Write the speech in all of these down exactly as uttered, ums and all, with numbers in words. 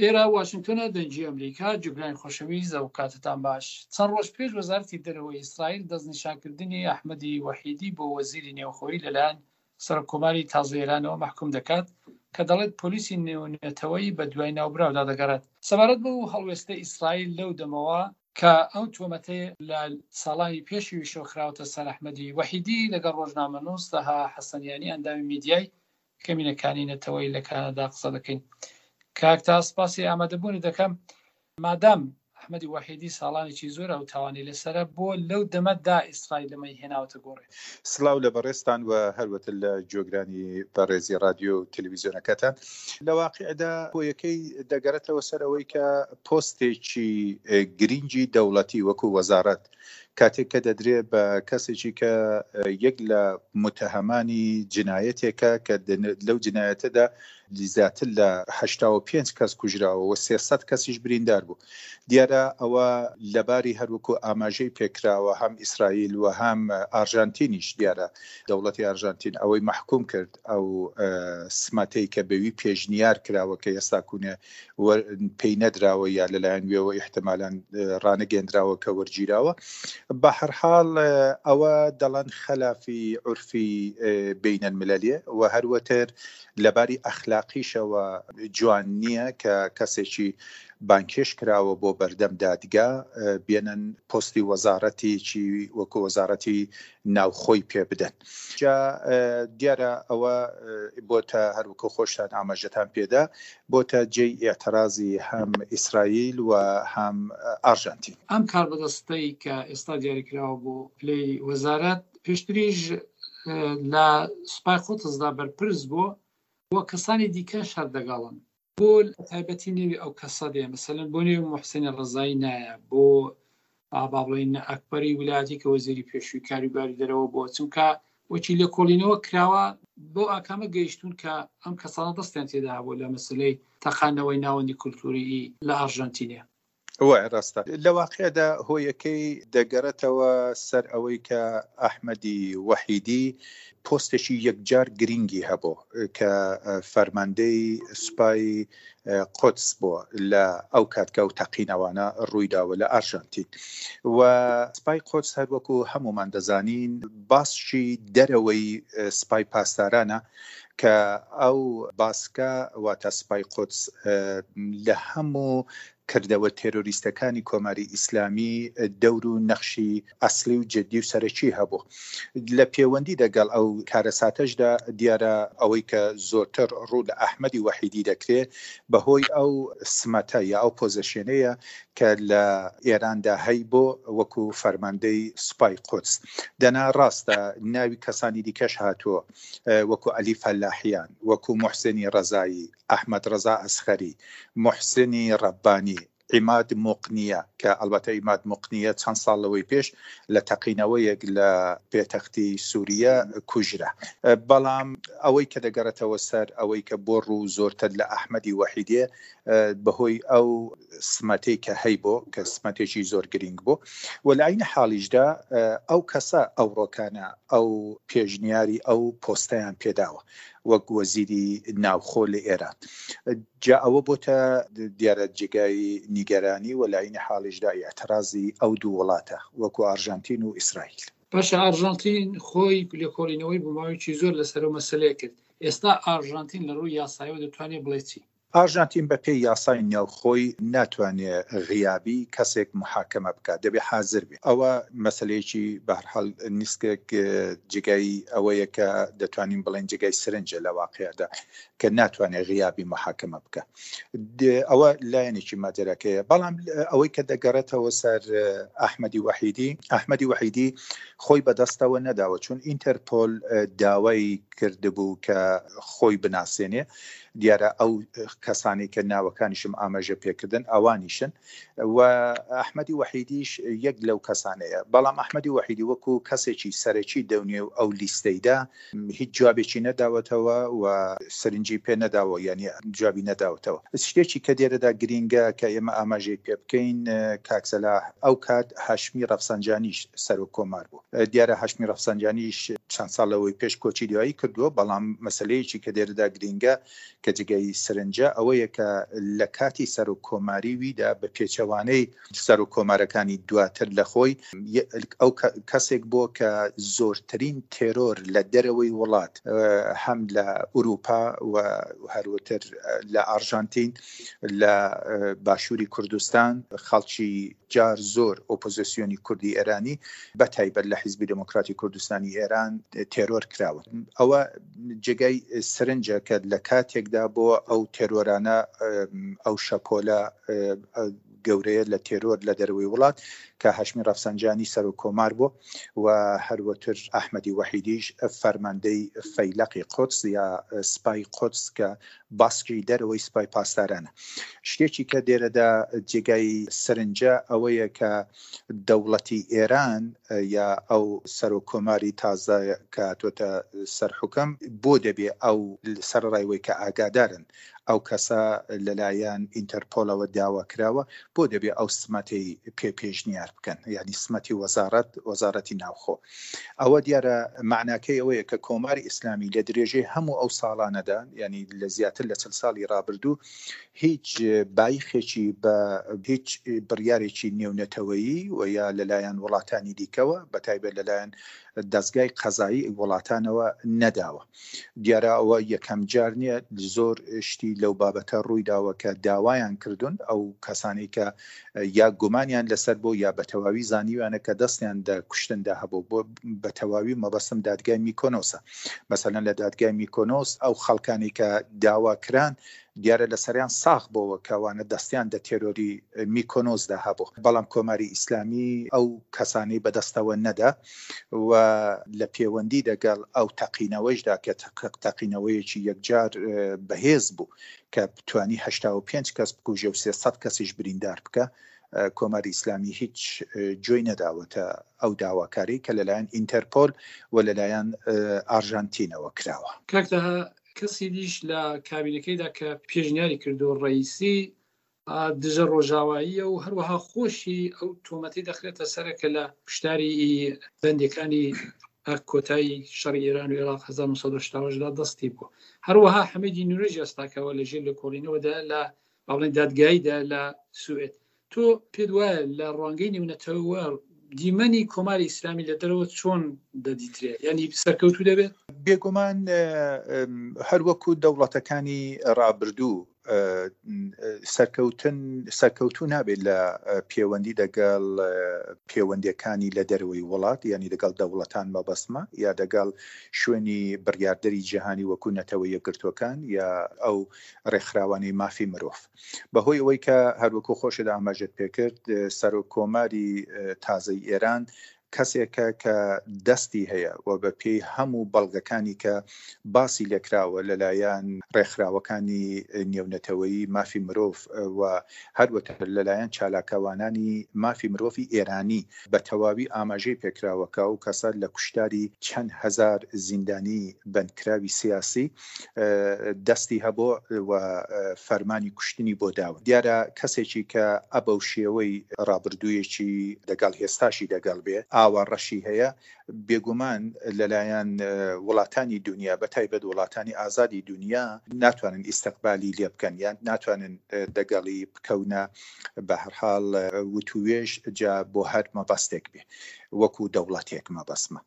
ئێرە واشنگتۆنە، دەنگی ئەمریکا، جوگرانی خۆشەویست ئەو کاتتان باش. چەند ڕۆژ پێش وەزارەتی دەرەوەی ئیسرائیل دەستنیشانکردنی ئەحمەدی وەحیدی بۆ وەزیری نێوخۆیی لەلایەن سەرۆک کۆماری تازەی ئێرانەوە مەحکوم دەکات کە دەڵێت پۆلیسی نێونەتەوەیی بە دوای ناوبراودا دەگەڕێت. سەبارەت بەو هەڵوێستەی ئیسرائیل لەو دەمەوە کە ئەو تۆمەتەی لە ساڵانی پێشویشەوە خراوەتە سەر ئەحمەدی وەحیدی، لەگەڵ ڕۆژنامەنووس تەها حەسەنیانی ئەندامی میدیای کەمینەکانی نەتەوەیی لە کانەدا قسە دەکەین. کاک تا سپاسی ئامادەبوونت دەکەم. مادام ئەحمەدی وەحیدی ساڵانێکی زۆر ئەو تاوانەی لەسەرە، بۆ لەو دەمەدا ئیسرائیل ئەمەی هێناوەتە گۆڕێ؟ سڵاو لە بەڕێزتان و هەروەتر لە گوێگرانی بەڕێزی ڕادیۆ و تەلەڤیزیۆنەکەتان. لە واقعدا هۆیەکەی دەگەڕێتەوە سەر ئەوەی کە پۆستێکی گرینگی دەوڵەتی وەکو وەزارەت کاتێک کە دەدرێ بە کەسێکی کە یەک لە متهەمانی جنایەتێکە کە لەو جنایەتەدا زیاتر لە هەشتا و پێنج کەس کوژراوە و سێ سەد کەسیش بریندار بوو. دیارە ئەوە لەباری هەروەکو ئاماژەی پێکراوە هەم ئیسرائیل و هەم ئارژانتینیش، دیارە دەوڵەتی ئارژانتین ئەوەی مەحکوم کرد، ئەو سمەتەی کە بەوی پێشنیار کراوە کە ئێستا کوونێ پێی نەدراوە یا لەلایەن وێوە ئیحتمالان ڕانەگەندراوە کە وەرگیراوە. بە هەر حاڵ ئەوە دەڵێن خەلافی عورفی بینەلملەلیە و هەروەتر لەباری ئەخلاقیشەوە جوان نییە کە کەسێکی بانکێش کراوە بۆ بەردەم دادگا بێنن پۆستی وەزارەتێکی وەکو وەزارەتی ناوخۆی پێ بدەن. جا دیارە ئەوە بۆتە هەروەکو خۆشتان ئاماژەتان پێدا بۆتە جێی ئێعترازی هەم ئیسرائیل و هەم ئارژانتین. ئەم کاربەدەستەی کە ئێستا دیاریکراوە بۆ پلەی وەزارەت پێشتریش لە سوپای قودسدا بەرپرس بوو و کەسانی دیکەش هەر دەگەڵن. بۆ تایبەتی نێوی ئەو کەسە دێ، مەسەلەن بۆ نێوی محسنی ڕەزایی نایە، بۆ با بڵێین ئەکبەری ولایەتی کە وەزیری پێشووی کاروباری دەرەوە بووە، چونکە وەکی لێکۆڵینەوە کراوە بۆ ئاکامە گەیشتون کە ئەم کەسانە دەستیان تێدا هەبوو لە مەسلەی تەقاندنەوەی ناوەندی کولتووریی لە ئارژەنتینێ. وای ڕاستە. لە واقعدا هۆیەکەی دەگەڕێتەوە سەر ئەوەی کە ئەحمەدی وەحیدی پۆستێکی یەکجار گرینگی هەبوو کە فەرماندەی سوپای قودس بووە لە ئەو کات کە ئەو تەقینەوانە ڕوویداوە لە ئارژانتین. و سوپای قودس هەر وەکو هەمومان دەزانین باسکی دەرەوەی سوپای پاسدارانە کە ئەو باسکە واتە سوپای قودس لە هەموو کردەوە تێرۆریستەکانی کۆماری ئیسلامی دەور و نەخشی ئەسلی و جدی و سەرەکی هەبوو. لە پەیوەندی دەگەڵ ئەو کارەساتەشدا دیارە ئەوەی کە زۆرتر ڕوو لە ئەحمەدی وەحیدی دەکرێت بەهۆی ئەو سمەتە یا ئەو پۆزیشنەیە کە لە ئێراندا هەی بۆ وەکو فەرماندەی سوپای قودس. دەنا ڕاستە ناوی کەسانی دیکەش هاتووە وەکو عەلی فەلاحیان، وەکو محسنی ڕەزایی، ئەحمەد ڕەزا ئەسخەری، محسنی ڕەبانی، عیماد موقنیە کە ئەلبەتە عیماد موقنیە چەند ساڵ لەوەی پێش لە تەقینەوەیەک لە پێتەختی سووریە کوژرا. بەڵام ئەوەی کە دەگەڕێتەوە سەر ئەوەی کە بۆ ڕوو زۆرتر لە ئەحمەدی وەحیدێ بەهۆی ئەو سمەتەی کە هەی بۆ کە سمەتێکی زۆر گرنگ بوو و لە عین حاڵیشدا ئەو کەسە ئەو ڕۆکانە ئەو پێشنیاری ئەو پۆستەیان پێداوە وەک وەزیری ناوخۆ لە ئێران. جا ئەوە بۆتە دیارە جێگای نیگەرانی و لە عین حاڵیشدا ئیعترازی ئەو دوو وڵاتە وەکو ئارژانتین و ئیسرائیل. باشە ئارژانتین خۆی لێکۆڵینەوەی بۆ ماوەیەکی زۆر لەسەر ئەو مەسەلەیە کرد. ئێستا ئارژانتین لە ڕووی یاساییەوە دەتوانێت بڵێ چی؟ ئارژانتین بە پێی یاسای ناوخۆی ناتوانێت غیابی کەسێک محاکمە بکات، دەبێت حاضر بێ. ئەوە مەسلەیەکی بەهەرحاڵ نیسکێک جێگای ئەوەیە کە دەتوانین بڵێن جێگای سرنجە لە واقعدا کە ناتوانێت غیابی محاکمە بکە. ئەوە لایەنێکی ماجەراکەیە. بەڵام ئەوەی کە دەگەڕێتەوە سەر ئەحمەدی وەحیدی، ئەحمەدی وەحیدی خۆی بەدەستەوە نەداوە، چون ئینتەرپۆل داوای کردبوو کە خۆی بناسێنێ. دیارە ئەو کەسانی کە ناوەکانیشم ئاماژە پێکردن ئەوانیشن و ئەحمەدی وەحیدیش یەک لەو کەسانەیە. بەڵام ئەحمەدی وەحیدی وەکو کەسێکی سەرەکی دەونێ و ئەو لیستەیدا هیچ جوابێکی نەداوەتەوە و سەرنجی پێ نەداوە، یعنی جوابی نەداوەتەوە. شتێکی کە لێرەدا گرینگە کە ئێمە ئاماژەی پێ بکەین کاک سەلاح، ئەو کات هاشمی ڕەفسەنجانیش سەرۆک کۆمار بوو. دیارە هاشمی ڕەفسەنجانیش چەند ساڵ لەوەی پێش کۆچی دوایی کردووە. بەڵام مەسلەیەکی کە دێرەدا گرینگە کە جێگای سەرنجە ئەوەیە کە لە کاتی سەرۆک کۆماری ویدا بە پێچەوانەی سەرۆک کۆمارەکانی دواتر لە خۆی، ئەو کەسێک بووە کە زۆرترین تێرۆر لە دەرەوەی وڵات، هەم لە ئەوروپا و هەروەتر لە ئارژانتین، لە باشووری کوردستان، خەڵکی جار زۆر ئۆپۆزیسیۆنی کوردی ئێرانی بە تایبەت لە حیزبی دێموکراتی کوردستانی ئێران تێرۆر کراوە. ئەوە جێگای سەرنجە کە لە کاتێکدا بۆ ئەو تێرۆرانە، ئەو شەپۆلە گەورەیە لە تێرۆر لە دەرەوەی وڵات کە هاشمی ڕەفسەنجانی سەرۆک کۆمار بوو و هەروەتر ئەحمەدی وەحیدیش فەرماندەی فەیلەقی قودس یا سپای قودس کە باسکی دەرەوەی سپای پاسدارانە. شتێکی کە دێرەدا جێگای سەرنجە ئەوەیە کە دەوڵەتی ئێران یا ئەو سەرۆک کۆماری تازە کە هاتۆتە سەر حوکم بۆ دەبێ ئەو سەرڕایوەی کە ئاگادارن ئەو کەسە لەلایەن ئینتەرپۆلەوە داوا کراوە، بۆ دەبێ ئەو سمەتی پێ پێشنیار بکەن، یعنی سمەتی وەزارەت وەزارەتی ناوخۆ. ئەوە دیارە معناکەی ئەوەیە کە کۆماری ئیسلامی لە درێژەی هەموو ئەو ساڵانەدا، یعنی لە زیاتر لە چل ساڵی ڕابردوو، هیچ بایخێکی بە هیچ بڕیارێکی نێونەتەوەیی و یا لەلایەن وڵاتانی دیکەوە، بە تایبەت لەلایەن دەستگای قەزایی وڵاتانەوە نەداوە. دیارە ئەوە یەکەم جار نییە، زۆر شتی لەو بابەتە ڕووی داوە کە داوایان کردوون ئەو کەسانەی کە یا گومانیان لەسەر بۆ یا بە تەواوی زانیویانە کە دەستیان دە کوشتندا هەبوو. بۆ بە تەواوی مەبەستم دادگای میکۆنۆسە. مەسەلەن لە دادگای میکۆنۆس ئەو خەڵکانی کە داوا کران دیارە لەسەریان ساغ بۆوە کەوانە دەستیان دە تێرۆری میکۆنۆسدا هەبوو، بەڵام کۆماری ئیسلامی ئەو کەسانەی بەدەستەوە نەدا و لە پەیوەندی دەگەڵ ئەو تەقینەوەیشدا کە تەقینەوەیەکی یەکجار بەهێز بوو کە توانی هەشتا و پێنج کەس بکوژێ و سێ سەد کەسیش بریندار بکە، کۆماری ئیسلامی هیچ جۆی نەداوەتە ئەو داواکاری کە لەلایەن ئینتەرپۆل و لەلایەن ئارژانتینەوە کراوە. کاک تەها، کەسی دیش لە کابینەکەیدا کە پێشنیاری کردو ڕئیسی دژە ڕۆژاواییە و هەروەها خۆشی ئەو تۆمەتی دەخرێتە سەرە کە لە کوشتاری بەندەکانی کۆتایی شەڕی ئێران و عێراق هەزار و نۆ سەد و هەشتا و هەشت دا دەستی بوو. هەروەها حەمیدی نوریش ئێستاکەوە لەژێر لێکۆڵینەوەدا لە باڵێن دادگاییدا لە سوئد. تۆ پێت وایە لە ڕوانگەی نێونەتەوە دیمەنی کۆماری ئیسلامی لە دەرەوە چۆن دەدیترێت؟ یعنی سەرکەوتوو دەبێت؟ بێگومان هەروەکو دەوڵەتەکانی ڕابردوو سەرکەوتن سەرکەوتوو نابێت لە پەیوەندی دەگەڵ پەیوەندیەکانی لە دەرەوەی وڵات، یعنی دەگەڵ دەوڵەتان مەبەستمە، یا دەگەڵ شوێنی بڕیاردەری جیهانی وەکو نەتەوە یەکگرتووەکان یا ئەو ڕێکخراوانەی مافی مرۆڤ. بەهۆی ئەوەی کە هەروەکو خۆشت ئاماژەت پێکرد، سەرۆک کۆماری تازەی ئێران کەسێکە کە دەستی هەیە و بە پێی هەموو بەڵگەکانی کە باسی لێکراوە لەلایەن ڕێکخراوەکانی نێونەتەوەیی مافی مرۆڤ و هەروەتر لەلایەن چالاکەوانانی مافی مرۆڤی ئێرانی بە تەواوی ئاماژەی پێکراوە کە ئەو کەسە لە کوشتاری چەند هەزار زیندانی بەندکراوی سیاسی دەستی هەبوو و فەرمانی کوشتنی بۆ داوە. دیارە کەسێکی کە ئەبەو شێوەی ڕابردوویەکی دەگەڵ هێستاشی دەگەڵ بێ ئاوا ڕەشی هەیە، بێگومان لەلایەن وڵاتانی دنیا بە تایبەت وڵاتانی ئازادی دنیا ناتوانن ئیستقبالی لێ بکەن، یان ناتوانن دەگەڵی بکەونە بە هەر حاڵ وتوێژ جا بۆ هەر مەبەستێک بێ وەکو دەوڵەتێک مەبەستمە.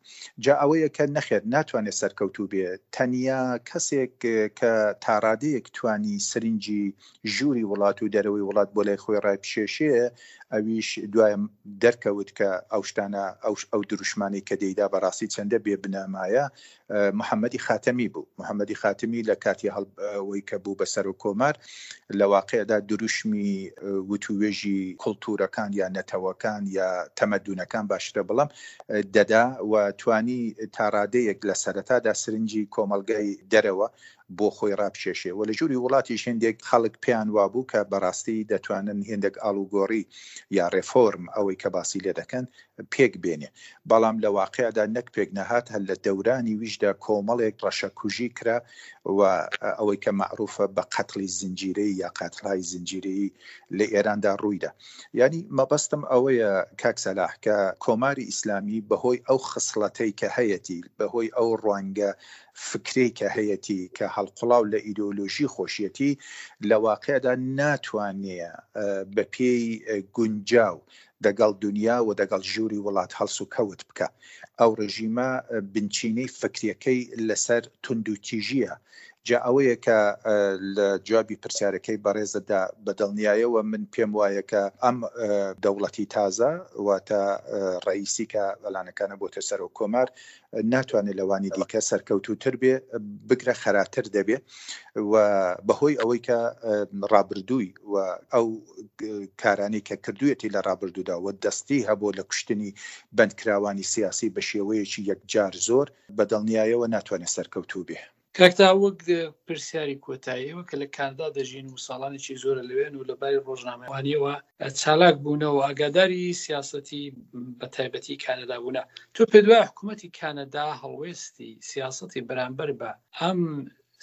جا ئەوەیە کە نەخێر ناتوانێت سەرکەوتوو بێ. تەنیا کەسێک کە تاڕادەیەک توانی سرنجی ژووری وڵات و دەرەوەی وڵات بۆ لای خۆی ڕایبکێشێ، ئەویش دوای دەرکەوت کە ئەو شتانە ئەو دروشمانەی کە دەیدا بەڕاستی چەندە بێبنەمایە، محەممەدی خاتەمی بوو. محەممەدی خاتەمی لە کاتی هەڵەوەی کە بوو بە سەرۆک کۆمار لە واقعدا دروشمی وتوێژی کولتوورەکان یا نەتەوەکان یا تەمەدونەکان باشترە بڵم دەدا و توانی تاڕادەیەک لە سەرەتادا سرنجی کۆمەڵگای دەرەوە بۆ خۆی ڕابکێشێ. و لە ژووری وڵاتیش هێندێک خەڵک پێیان وابوو کە بەڕاستی دەتوانن هێندێک ئاڵوگۆڕی یا ڕێفۆرم ئەوەی کە باسی لێ دەکەن پێک بێنێ، بەڵام لە واقعدا نەک پێک نەهات، هەر لە دەورانی ویشدا کۆمەڵێک ڕەشەکوژی کرا و ئەوەی کە مەعروفە بە قەتڵی زنجیرەیی یا قەتڵهای زنجیرەیی لە ئێراندا ڕوویدا. یانی مەبەستم ئەوەیە کاک سەلاح کە کۆماری ئیسلامی بەهۆی ئەو خسڵەتەی کە هەیەتی، بەهۆی ئەو ڕوانگە فکرەی کە هەیەتی کە هەڵقوڵاو لە ئیدۆلۆژی خۆشیەتی، لە واقعدا ناتوانێ بە پێی گونجاو دەگەڵ دنیا و دەگەڵ ژووری وڵات هەڵس و کەوت بکە. ئەو ڕژیمە بنچینەی فکریەکەی لەسەر توندوتیژیە. جا ئەوەیە کە لە جوابی پرسیارەکەی بەڕێزتدا بە دڵنیایەوە من پێم وایە کە ئەم دەوڵەتی تازە واتە ڕئیسی کە ئەلانەکانە بۆتە سەرۆک کۆمار ناتوانێت لەوانی دیکە سەرکەوتووتر بێ، بگرە خەراتر دەبێ و بەهۆی ئەوەی کە ڕابردووی و ئەو کارانەی کە کردوویەتی لە ڕابردوودا و دەستی هەبوو لە کوشتنی بەندکراوانی سیاسی بە شێوەیەکی یەکجار زۆر، بە دڵنیایەوە ناتوانێت سەرکەوتوو بێ. کاک تا وەک پرسیاری کۆتایی، ئێوە کە لە کانادا دەژین و ساڵانێکی زۆرە لەوێن و لە باری ڕۆژنامەوانیەوە چالاک بوونە و ئاگاداری سیاسەتی بە تایبەتی کانادا بوونە، تۆ پێت وایە حکوومەتی کانادا هەڵوێستی سیاسەتی بەرامبەر بە ئەم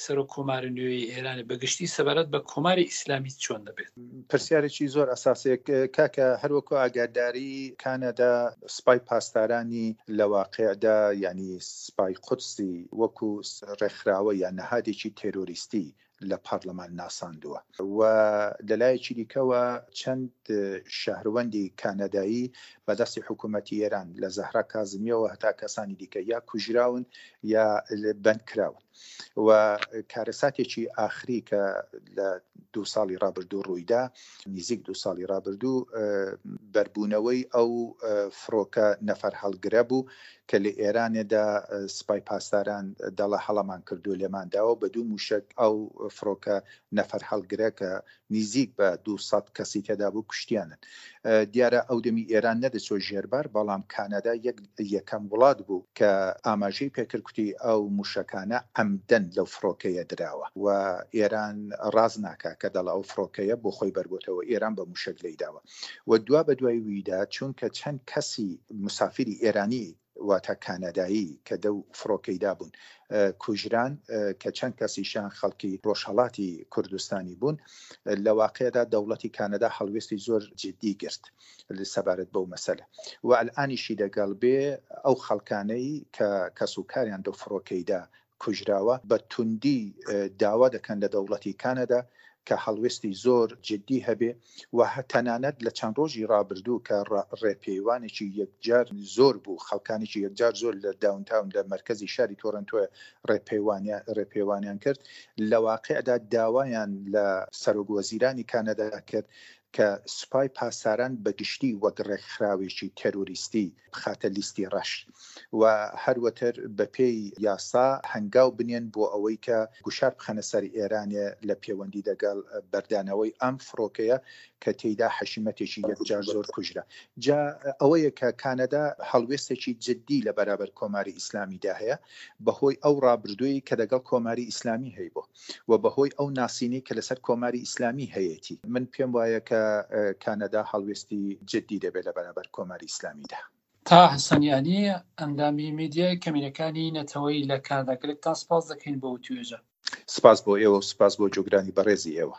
سەرۆک کۆماری نوێی ئێران بە گشتی سەبارەت بە کۆماری ئیسلامی چۆن دەبێت؟ پرسیارێکی زۆر ئەساسێک کاکە، هەروەکو ئاگاداری کانەدا سپای پاسدارانی لە واقعدا یعنی سپای قودسی وەکو ڕێکخراوە یان نەهادێکی تێرۆریستی لە پەرلەمان ناساندووە و لەلایەکی دیکەوە چەند شەهروەندی کانەدایی بەدەستی حکوومەتی ئێران لە زەهرا کازمیەوە هەتا کەسانی دیکە یا کوژراون یا بەند کراون و کارەساتێکی ئاخری کە لە دوو ساڵی ڕابردوو ڕوویدا، نزیک دوو ساڵی ڕابردوو، بەربوونەوەی ئەو فڕۆکە نەفەر هەڵگرە بوو کە لە ئێرانێدا سپای پاسداران دەڵە هەڵەمان کردو لێمان داوە بە دوو موشک ئەو فڕۆکە نەفەر هەڵگرە کە نزیک بە دوو سەد کەسی تێدا بوو کوشتیانن. دیارە ئەو دەمی ئێران نەدەچۆ ژێربار، بەڵام کانەدا یەکەم وڵات بوو کە ئاماژەی پێکرد کوتی ئەو موشەکانە عەمدەن لەو فڕۆکەیە دراوە و ئێران ڕاز ناکا کە دەڵە ئەو فڕۆکەیە بۆ خۆی بەربۆتەوە، ئێران بە موشەک لێیداوە. و دوا بە دوای ویدا چونکە چەند کەسی مسافری ئێرانی واتە کانەدایی کە دەو فڕۆکەیدا بوون کوژران، کە چەند کەسیشان خەڵکی ڕۆژهەڵاتی کوردستانی بوون، لە واقعدا دەوڵەتی کانەدا هەڵوێستی زۆر جدی گرت سەبارەت بەو مەسەلە و ئەلئانیشی دەگەڵ بێ ئەو خەڵکانەی کە کەس و کاریان دەو فڕۆکەیدا کوژراوە بە توندی داوا دەکەن لە دەوڵەتی کانەدا کە هەڵوێستی زۆر جدی هەبێ و تەنانەت لە چەند ڕۆژی ڕابردوو کە ڕێپێوانێکی یەکجار زۆر بوو، خەڵکانێکی یەکجار زۆر لە داونتاون لە مەرکەزی شاری تۆرنتۆ ڕێپێوانیان کرد، لە واقعدا داوایان لە سەرۆک وەزیرانی کانەدا کرد کە سوپای پاسداران بە گشتی وەک ڕێکخراوێکی تێرۆریستی بخاتە لیستی ڕەش و هەروەتر بە پێی یاسا هەنگاو بنێن بۆ ئەوەی کە گوشار بخەنە سەر ئێرانێ لە پەیوەندی دەگەڵ بەردانەوەی ئەم فڕۆکەیە کە تێیدا حەشیمەتێکی یەکجار زۆر کوژرا. جا ئەوەیە کە کانەدا هەڵوێستێکی جدی لە بەرابەر کۆماری ئیسلامیدا هەیە بەهۆی ئەو ڕابردووی کە دەگەڵ کۆماری ئیسلامی هەیبوو و بەهۆی ئەو ناسینەی کە لەسەر کۆماری ئیسلامی هەیەتی. من پێم وایە کە کانەدا هەڵوێستی جدی دەبێت لە بەرابەر کۆماری ئیسلامیدا. تا حەسەنیانی ئەندامی میدیای کەمینەکانی نەتەوەیی لە کانەدا، گەلێکتان سپاس دەکەین بۆ وتوێژە. سپاس بۆ ئێوە و سپاس بۆ جۆگرانی بەڕێزی ئێوە.